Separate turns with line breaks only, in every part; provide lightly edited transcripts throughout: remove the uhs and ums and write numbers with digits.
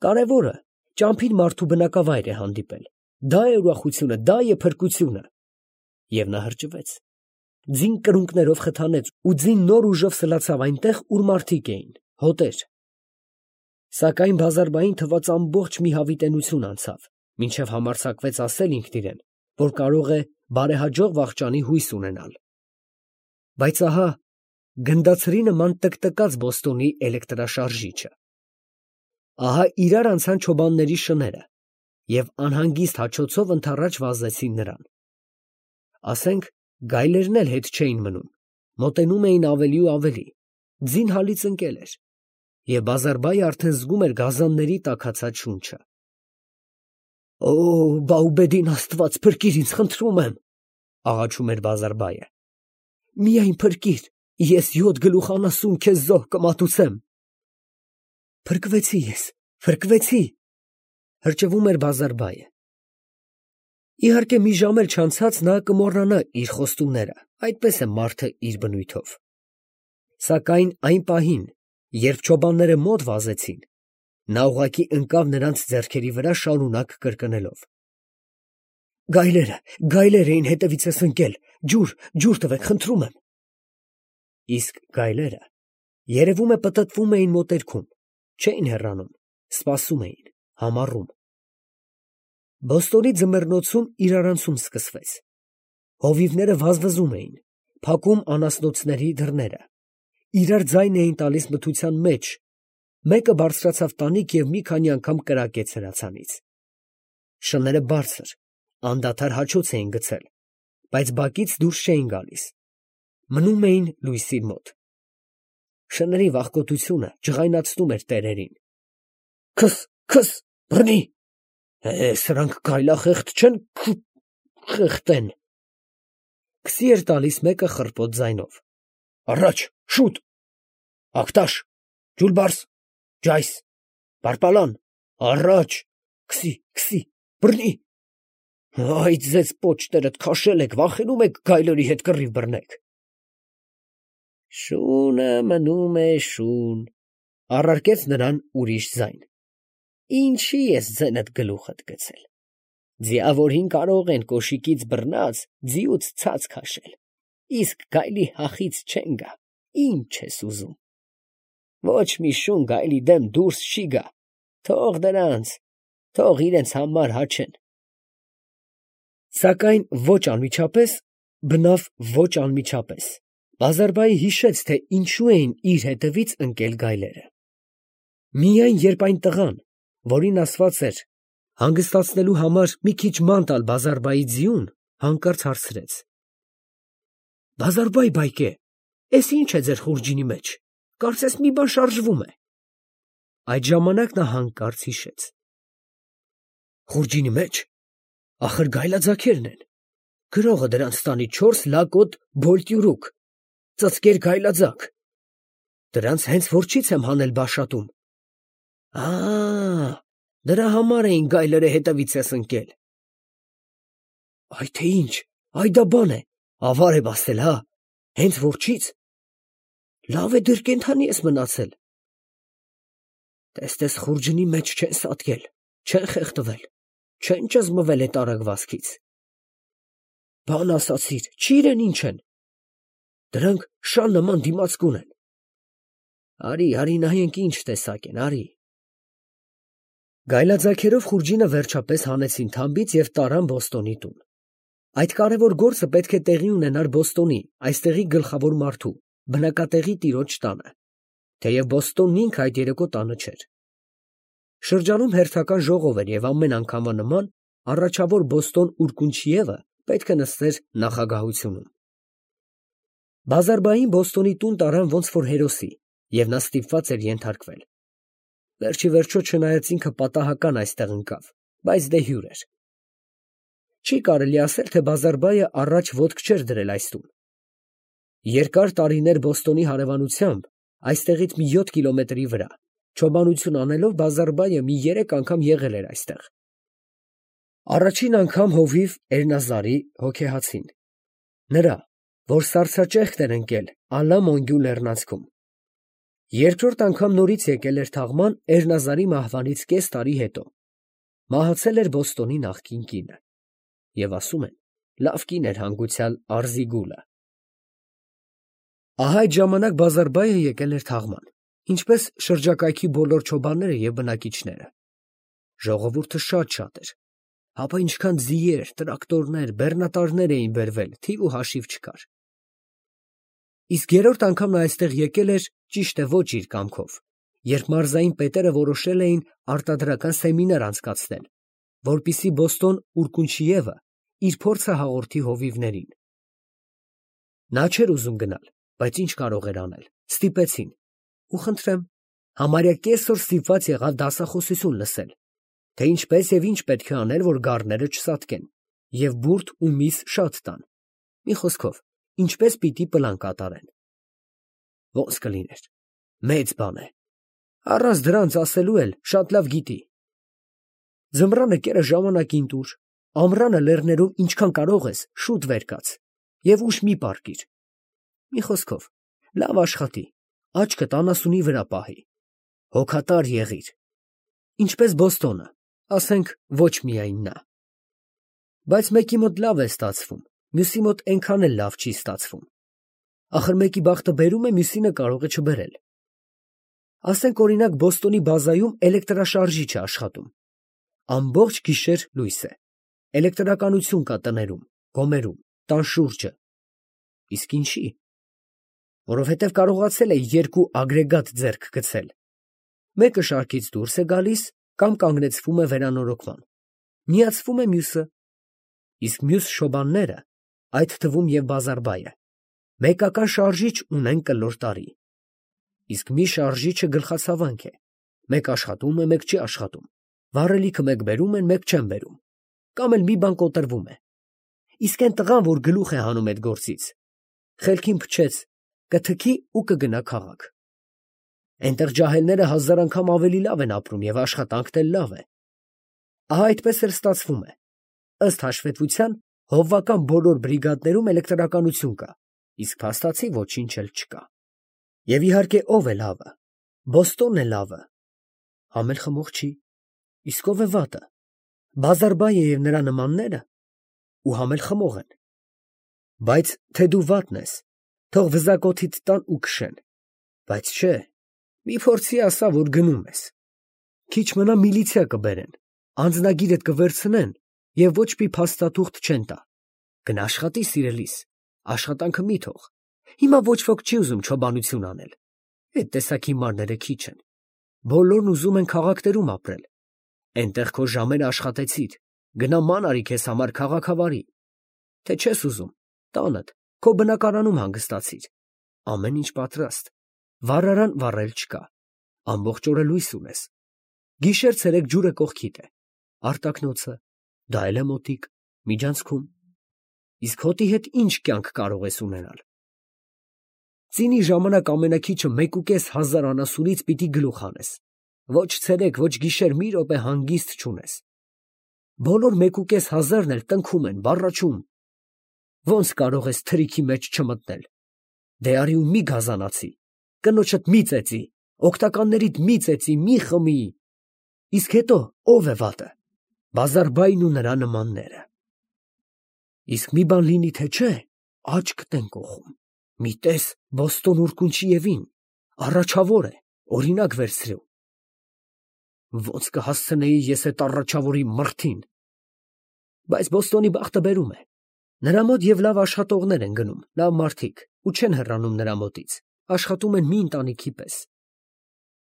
Կարևորը ճամփին մարդու բնակավայր է հանդիպել, դա է ուրախությունը, դա է փրկությունը։ Եվ նա հրճվեց, ձին կրունկներով խթանեց ու ձին նոր ուժով սլացավ այնտեղ, ուր մարդիկ էին, հոտեր։ Սակայն Բազարբային թվաց ամբողջ մի հավիտենություն անցավ, մինչև համարձակվեց ասել ինքն իրեն, որ կարող է բարեհաջող վախճանի հույս ունենալ։ Բայց ահա գնդացրի նման տկտկաց Բոստոնի էլեկտրաշարժիչը։ Ահա իրար անցան չոբանների շները և անհանգիստ հաչոցով ընդառաջ վազեցին նրան։ Ասենք գայլերն էլ հետ չէին մնում, մոտենում էին ավելի ու ավելի, ձին հալից ընկել էր, և Բազարբայը արդեն զգում էր գազանների տաքացած շունչը։ «Օ, Բաուբեդին Աստված, փրկիր ինձ, խնդրում եմ», աղաչում էր Բազարբայը։ «Միայն փրկիր, ես 7 գլուխ անասուն քեզ զոհ կմատուցեմ»։ «Փրկվեցի ես, փրկվեցի», հրճվում էր Բազարբայը։ Իհարկե մի ժամ էլ չանցած նա կմոռանա իր խոստումները, այդպես է մարդը իր բնույթով։ Սակայն այն պահին, երբ չոբանները մոտ վազեցին, նա ուղղակի ընկավ նրանց ձեռքերի վրա շարունակ կրկնելով. «Գայլեր էին հետևիցս ընկել, ջուր տվեք, խնդրում եմ»։ Իսկ գայլերը, երևում է, պտտվում էին մոտերքում, չէին հեռանում, սպասում էին, համառում։ Բոստոնի ձմեռնոցում իրարանցում սկսվեց։ Հովիվները վազվզում էին, փակում անասնոցների դռները, իրար ձայն էին տալիս մթության մեջ, մեկը բարձրացավ տանիք և մի քանի անգամ կրակեց հրացանից։ Շները բարձր, անդադար հաչոց էին գցել, բայց բակից դուրս չէին գալիս, մնում էին լույսի մոտ։ Շների վախկոտությունը ջղայնացնում էր տերերին։ Քս, բռնի, սրանք գայլախեղդ չեն, խեղդեն։ Քսի էր տալիս մեկը խռպոտ ձայնով։ Առաջ, շուտ, ակտաշ, ջուլբարս, ջայս, պարպալան, առաջ, քսի, բռնի։ Այ ձեզ պոչներդ քաշել եք, վախենում եք գայլերի հետ կռիվ բռնեք։ Շունը մնում է շուն, առարկեց նրան ուրիշ ձայն։ Ինչի ես ձենդ գլուխդ գցել։ Ձիավորին կարող են կոշիկից բռնած ձիուց ցած քաշել, իսկ գայլի հախից չեն գա, ինչ ես ուզում։ Ոչ մի շուն գայլի դեմ դուրս չի գա, թող դրանց, թող իրենց համար հաչեն։ Սակայն ոչ անմիջապես, բնավ ոչ անմիջապես, Բազարբայի հիշեց, թե ինչու էին իր հետևից ընկել գայլերը։ Միայն երբ այն տղան, որին ասված էր հանգստացնելու համար մի քիչ ման տալ Բազարբայի ձիուն, հանկարծ հարցրեց. Բազարբայ բայկե, էս ինչ է ձեր խուրջինի մեջ, կարծես մի բան շարժվում է։ Այդ ժամանակ նա հանկարծ հիշեց. խուրջինի մեջ, ախր գայլաձագերն են, գրողը դրանց տանի 4 լակոտ բոլտյուրուկ, ծծկեր գայլաձագ, դրանց հենց որջից եմ հանել Բաշատում։ Դրա համար էին գայլերը հետևից ես ընկել։ Այ թե ինչ, այ դա բան է, ավար եմ ասել, հա, հենց որջից։ Լավ է դեռ կենդանի ես մնացել։ Տես խուրջինի մեջ չեն սատկել, չեն խեղդվել, չեն ճզմվել այդ արագվածքից։ Բան ասացիր, չիրեն ինչ են։ Դրանք շան նման դիմացկուն են։ Արի նայենք ինչ տեսակ են, արի։ Գայլաձագերով խուրջինը վերջապես հանեցին թամբից և տարան Բոստոնի տուն։ Այդ կարևոր գործը պետք է տեղի ունենար Բոստոնի, այստեղի գլխավոր մարդու, բնակատեղի տիրոջ տանը, թեև Բոստոնն ինքը այդ երեկո տանը չէր։ Շրջանում հերթական ժողով էր և ամեն անգամվա նման առաջավոր Բոստոն Ուրկունչիևը պետք է նստեր նախագահությունում։ Բազարբային Բոստոնի տուն տարան ոնց որ հերոսի, և նա ստիպված էր ենթարկվել։ Վերջի վերջո չնայած ինքը պատահական այստեղ ընկավ, բայց դե հյուր էր։ Չի կարելի ասել, թե Բազարբայը առաջ ոտք չէր դրել այս տուն։ Երկար տարիներ Բոստոնի հարևանությամբ, այստեղից մի 7 կիլոմետրի վրա, չոբանություն անելով Բազարբայը մի 3 անգամ եղել էր այստեղ։ Առաջին անգամ հովիվ Էրնազարի հոգեհացին։ Նրա, որ սառցաճեղքն էր ընկել Ալա Մոնգյու լեռնանցքում։ Երկրորդ անգամ նորից եկել էր թաղման Էրնազարի մահվանից կես տարի հետո. մահացել էր Բոստոնի նախկին կինը, և ասում են, լավ կին էր հանգուցյալ Արզիգուլը։ Ահա այդ ժամանակ Բազարբայը եկել էր թաղման, ինչպես շրջակայքի բոլոր չոբանները և բնակիչները։ Ժողովուրդը շատ էր, հապա ինչքան ձիեր, տրակտորներ, բեռնատարներ էին բերվել, թիվ ու հաշիվ չկար։ Իսկ երրորդ անգամ նա այստեղ եկել էր, ճիշտ է, ոչ իր կամքով, երբ մարզային պետերը որոշել էին արտադրական սեմինար անցկացնել, որպեսզի Բոստոն Ուրկունչիևը իր փորձը հաղորդի հովիվներին։ Նա չէր ուզում գնալ, բայց ինչ կարող էր անել, ստիպեցին, ու խնդրեմ, համարյա կեսօր ստիպված եղավ դասախոսություն լսել, թե ինչպես և ինչ պետք է անել, որ գառները չսատկեն, և բուրդ ու միս շատ տան, մի խոսքով, ինչպես պիտի պլան կատարեն։ Ոնց կլիներ, մեծ բան է, առանց դրանց ասելու էլ շատ լավ գիտի։ Ձմռանը կերը ժամանակին տուր, ամռանը լեռներում ինչքան կարող ես շուտ վեր կաց և ուշ մի պառկիր։ Մի խոսքով, լավ աշխատի, աչքդ անասունի վրա պահի, հոգատար եղիր, ինչպես Բոստոնը, ասենք ոչ միայն նա։ Բայց մեկի մոտ լավ է ստացվում, մյուսի մոտ այնքան էլ լավ չի ստացվում։ Ախր մեկի բախտը բերում է, մյուսինը կարող է չբերել։ Ասենք օրինակ Բոստոնի բազայում էլեկտրաշարժիչ է աշխատում։ Ամբողջ գիշեր լույս է, էլեկտրականություն կա տներում, գոմերում, տան շուրջը։ Իսկ ինչի՞։ Որովհետև կարողացել է երկու ագրեգատ ձեռք գցել։ Մեկը շարքից դուրս է գալիս կամ կանգնեցվում է վերանորոգման, միացվում է մյուսը։ Իսկ մյուս շոբանները, այդ թվում և Բազարբայը, մեկական շարժիչ ունեն կլոր տարի։ Իսկ մի շարժիչը գլխացավանք է, մեկ աշխատում է, մեկ չի աշխատում, վառելիքը մեկ բերում են, մեկ չեն բերում, կամ էլ մի բան կոտրվում է։ Իսկ այն տղան, որ գլուխ է հանում այդ գործից, խելքին փչեց, կթքի ու կգնա քաղաք։ Այնտեղ ջահելները 1000 անգամ ավելի լավ են ապրում և աշխատանքն էլ լավ է։ Ահա այդպես էլ ստացվում է։ Ըստ հաշվետվության, հովվական բոլոր բրիգադներում էլեկտրականություն կա, իսկ փաստացի ոչինչ էլ չկա։ Եվ իհարկե ով է լավը։ Բոստոնն է լավը։ Համ էլ խմող չի։ Իսկ ով է վատը։ Բազարբայը և նրա նմանները, ու համ էլ խմող են։ Բայց թե դու վատն ես, թող վզակոթիդ տան ու քշեն։ Բայց չէ, մի փորձի ասա, որ գնում ես։ Քիչ մնա միլիցիա կբերեն, անձնագիրդ կվերցնեն և ոչ մի փաստաթուղթ չեն տա։ Գնա աշխատի, սիրելիս, աշխատանքը մի թող։ Հիմա ոչ ոք չի ուզում չոբանություն անել։ Այդ տեսակ հիմարները քիչ են։ Բոլորն ուզում են քաղաքներում ապրել։ Այնտեղ քո ժամերը աշխատեցիր, գնա ման արի քեզ համար քաղաքավարի։ Թե չես ուզում, տանդ, քո բնակարանում հանգստացիր։ Ամեն ինչ պատրաստ։ Վառարան վառել չկա։ Ամբողջ օրը լույս ունես։ Գիշեր-ցերեկ ջուրը կողքիդ է։ Արտակնոցը, դա էլ է մոտիկ, միջանցքում։ Իսկ հոտի հետ ինչ կյանք կարող ես ունենալ։ Ծինի ժամանակ ամենաքիչը 1500 անասունից պիտի գլուխ հանես։ Ոչ ցերեկ, ոչ գիշեր մի րոպե հանգիստ չունես։ Բոլոր 1500-ն էլ տնքում են, բառաչում։ Ոնց կարող ես թրիքի մեջ չմտնել։ Դե արի ու մի գազանացի, կնոջդ մի ծեծի, օգտականներիդ մի ծեծի, մի խմի։ Իսկ հետո ով է վատը։ Բազարբային ու նրա նմանները։ Իսկ մի բան լինի, թե չէ, աչքդ են կոխում։ Մի տես Բոստոն Ուրկունչիևին, առաջավոր է, օրինակ վերցրու։ Ոնց կհասցնեի ես այդ առաջավորի մրթին։ Բայց Բոստոնի բախտը բերում է։ Նրա մոտ և լավ աշխատողներ են գնում, լավ մարդիկ, ու չեն հեռանում նրա մոտից, աշխատում են մի ընտանիքի պես։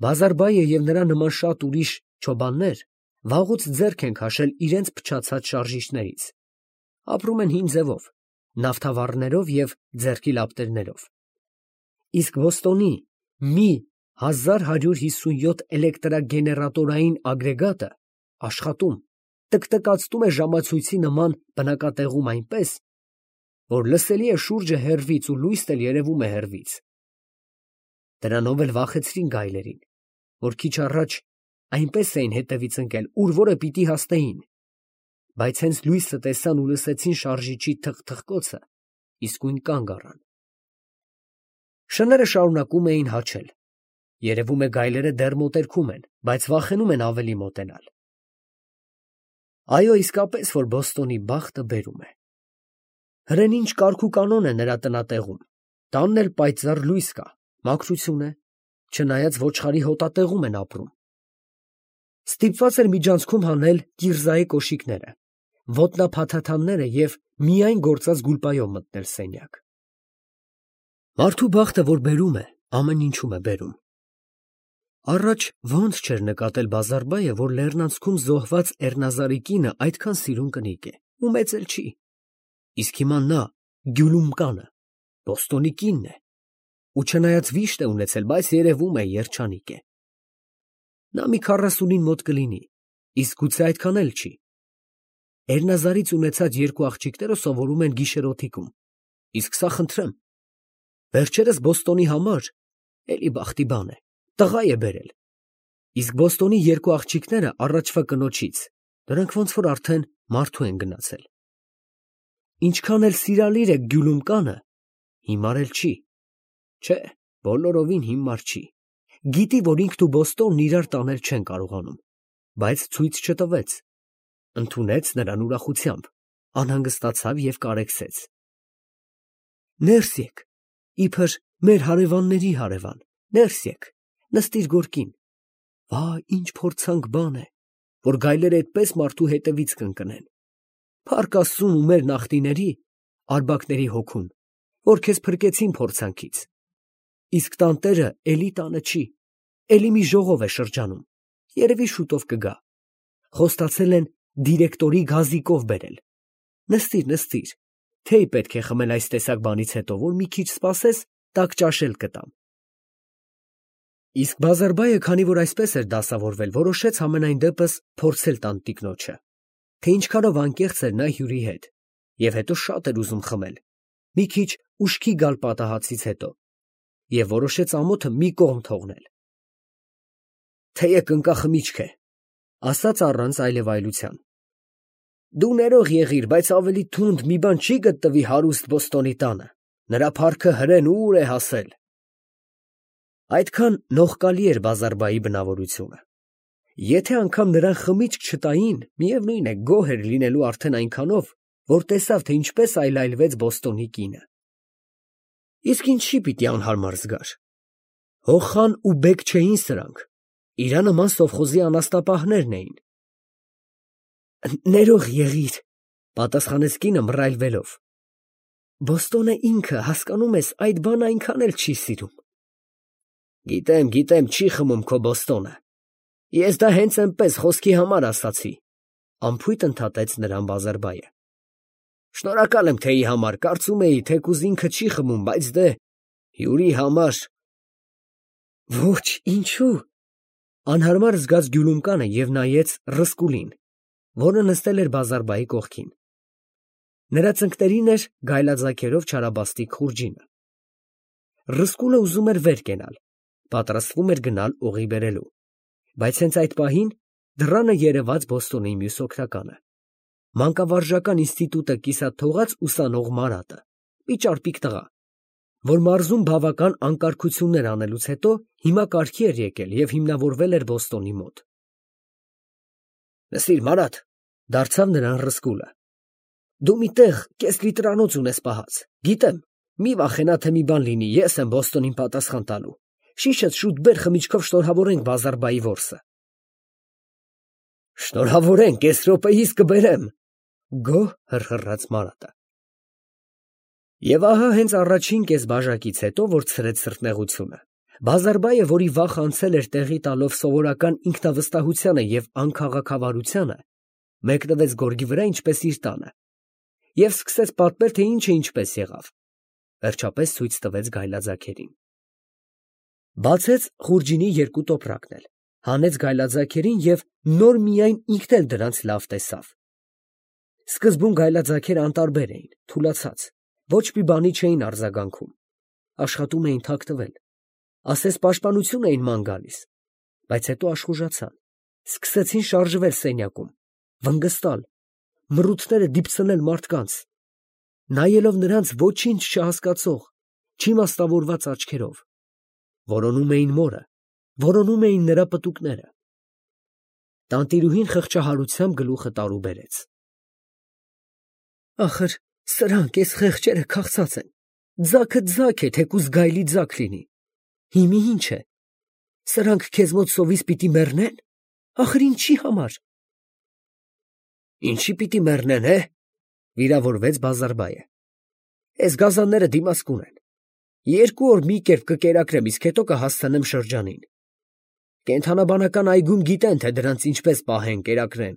Բազարբայը և նրա նման շատ ուրիշ չոբաններ վաղուց ձեռք են քաշել իրենց փչացած շարժիչներից։ Ապրում են հին ձևով, նավթավառներով և ձեռքի լապտերներով։ Իսկ Բոստոնի մի 1157 էլեկտրագեներատորային ագրեգատը աշխատում, տկտկացնում է ժամացույցի նման բնակատեղում այնպես, որ լսելի է շուրջը հեռվից ու լույսն էլ երևում է հեռվից։ Դրանով էլ վախեցրին գայլերին, որ քիչ առաջ այնպես էին հետևից ընկել, ուր որը պիտի հասնեին, բայց հենց լույսը տեսան ու լսեցին շարժիչի թխթխկոցը, իսկույն կանգ առան։ Շները շարունակում էին հաչել։ Երևում է գայլերը դեռ մոտերքում են, բայց վախենում են ավելի մոտենալ։ Այո, իսկապես, որ Բոստոնի բախտը բերում է։ Հրեն ինչ կարգ ու կանոն է նրա տնատեղում, տանն էլ պայծառ լույս կա, մաքրություն է, չնայած ոչխարի հոտատեղում են ապրում։ Ստիպված էր միջանցքում հանել կիրզայի կոշիկները, ոտնափաթաթանները և միայն գործած գուլպայով մտնել սենյակ։ Մարդու բախտը, որ բերում է, ամեն ինչում է բերում։ Առաջ ոնց չէր նկատել Բազարբայը, որ լեռնանցքում զոհված Էռնազարի կինը այդքան սիրուն կնիկ է, ու մեծ էլ չի։ Իսկ հիմա նա, Գյուլումկանը, Բոստոնի կինն է, ու չնայած վիշտ է ունեցել, բայց երևում է երջանիկ է։ Նա մի 40-ին մոտ կլինի, իսկ գուցե այդքան էլ չի։ Էռնազարից ունեցած երկու աղջիկները սովորում են գիշերօթիկում, իսկ սա խնդրեմ։ Վերջերս Բոստոնի համար էլի բախտի բան է, տղա է բերել, իսկ Բոստոնի երկու աղջիկները առաջվա կնոջից, դրանք ոնց որ արդեն մարդու են գնացել։ Ինչքան էլ սիրալիր է Գյուլումկանը, հիմար էլ չի, չէ, բոլորովին հիմար չի, գիտի, որ ինքն ու Բոստոնն իրար տանել չեն կարողանում, բայց ցույց չտվեց, ընդունեց նրան ուրախությամբ, անհանգստացավ և կարեկցեց։ Ներս եկ, իբր մեր հարևանների հարևան, ներս եկ, նստիր գորգին։ Վա, ինչ փորձանք բան է, որ գայլերը այդպես մարդու հետևից կընկնեն։ Փառք Աստծուն ու մեր նախնիների, արբակների հոգուն, որ քեզ փրկեցին փորձանքից։ Իսկ տանտերը էլի տանը չի, էլի մի ժողով է շրջանում, երևի շուտով կգա։ Խոստացել են դիրեկտորի գազիկով բերել։ Նստիր, նստիր, թեյ պետք է խմել այս տեսակ բանից հետո, որ մի քիչ սպասես, տաք ճաշել կտամ։ Իսկ Բազարբայը, քանի որ այսպես էր դասավորվել, որոշեց համենայն դեպս փորձել տանտիկնոջը, թե ինչքանով անկեղծ էր նա հյուրի հետ, և հետո շատ էր ուզում խմել, մի քիչ ուշքի գալ պատահածից հետո, և որոշեց ամոթը մի կողմ թողնել։ Թեյը կնկախմիչք է, ասաց առանց այլևայլության։ Դու ներող եղիր, բայց ավելի թունդ մի բան չի գտնվի հարուստ Բոստոնի տանը, նրա փառքը հրեն ուր է հասել։ Այդքան նողկալի էր Բազարբայի բնավորությունը։ Եթե անգամ նրան խմիչք չտային, միևնույն է, գոհ էր լինելու արդեն այնքանով, որ տեսավ, թե ինչպես այլայլվեց Բոստոնի կինը։ Իսկ ինչի պիտի անհարմար զգար։ Հոխան ու բեկ չէին սրանք, իրա նման սովխոզի անաստապահներն էին։ Ներող եղիր, պատասխանեց կինը մռայլվելով։ Բոստոնը ինքը, հասկանում ես, այդ բանը այնքան էլ չի սիրում։ Գիտեմ, չի խմում քո Բոստոնը։ Ես դա հենց այնպես խոսքի համար ասացի, անփույթ ընդհատեց նրան Բազարբայը։ Շնորհակալ եմ թեյի համար, կարծում էի, թեկուզ ինքը չի խմում, բայց դե, հյուրի համար։ Ոչ, ինչու։ Անհարմար զգաց Գյուլումկանը և նայեց Ռսկուլին, որը նստել էր Բազարբայի կողքին։ Նրա ծնկներին էր գայլաձագերով չարաբաստիկ խուրջինը։ Ռսկուլը ուզում էր վեր կենալ, պատրաստվում էր գնալ օղի բերելու, բայց հենց այդ պահին դռանը երևաց Բոստոնի մյուս օգնականը, մանկավարժական ինստիտուտը կիսատ թողած ուսանող Մարատը, մի ճարպիկ տղա, որ մարզում բավական անկարգություններ անելուց հետո հիմա կարգի էր եկել և հիմնավորվել էր Բոստոնի մոտ։ Լսիր, Մարատ, դարձավ նրան Ռսկուլը, դու մի տեղ կես լիտրանոց ունես պահած, գիտեմ, մի վախենա, թե մի բան լինի, ես եմ Բոստոնին պատասխան տալու, շիշդ շուտ բեր խմիչքով շնորհավորենք Բազարբայի որսը։ Շնորհավորենք, կես րոպեիս կբերեմ, գոհ հռհռաց Մարատը։ Եվ ահա հենց առաջին կես բաժակից հետո, որ ցրեց սրտնեղությունը, Բազարբայը, որի վախը անցել էր տեղի տալով սովորական ինքնավստահությանը և անքաղաքավարությանը, մեկնվեց գորգի վրա, ինչպես իր տանը, և սկսեց պատմել, թե ինչը ինչպես եղավ, վերջապես ցույց տվեց գայլաձագերին։ Բացեց խուրջինի երկու տոպրակն էլ, հանեց գայլաձագերին և նոր միայն ինքն էլ դրանց լավ տեսավ։ Սկզբում գայլաձագերը անտարբեր էին, թուլացած, ոչ մի բանի չէին արձագանքում, աշխատում էին թաքնվել, ասես պաշտպանություն էին ման գալիս, բայց հետո աշխուժացան, սկսեցին շարժվել սենյակում, վնգստալ, մռութները դիպցնել մարդկանց, նայելով նրանց ոչինչ չհասկացող, չիմաստավորված աչքերով, որոնում էին մորը, Որոնում էին նրա պտուկները։ Տանտիրուհին խղճահարությամբ գլուխը տարուբերեց։ Ախր, սրանք էս խեղճերը քաղցած են։ Ձագը ձագ է, թեկուզ գայլի ձագ լինի։ Հիմի ինչ է։ Սրանք քեզ մոտ սովից պիտի մեռնեն։ Ախր ինչի համար։ Ինչի պիտի մեռնեն, վիրավորվեց Բազարբայը։ Էս գազանները դիմաց կունեն։ 2 օր մի կերպ կկերակրեմ, իսկ հետո կհասցնեմ շրջանին։ Կենդանաբանական այգում գիտեն, թե դրանց ինչպես պահեն, կերակրեն։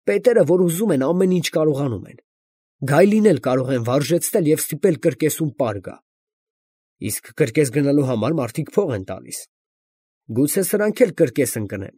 Պետերը, որ ուզում են, ամեն ինչ կարողանում են։ Գայլին էլ կարող են վարժեցնել և ստիպել կրկեսում պար գա։ Իսկ կրկես գնալու համար մարդիկ փող են տալիս։ Գուցե սրանք էլ կրկես ընկնեն։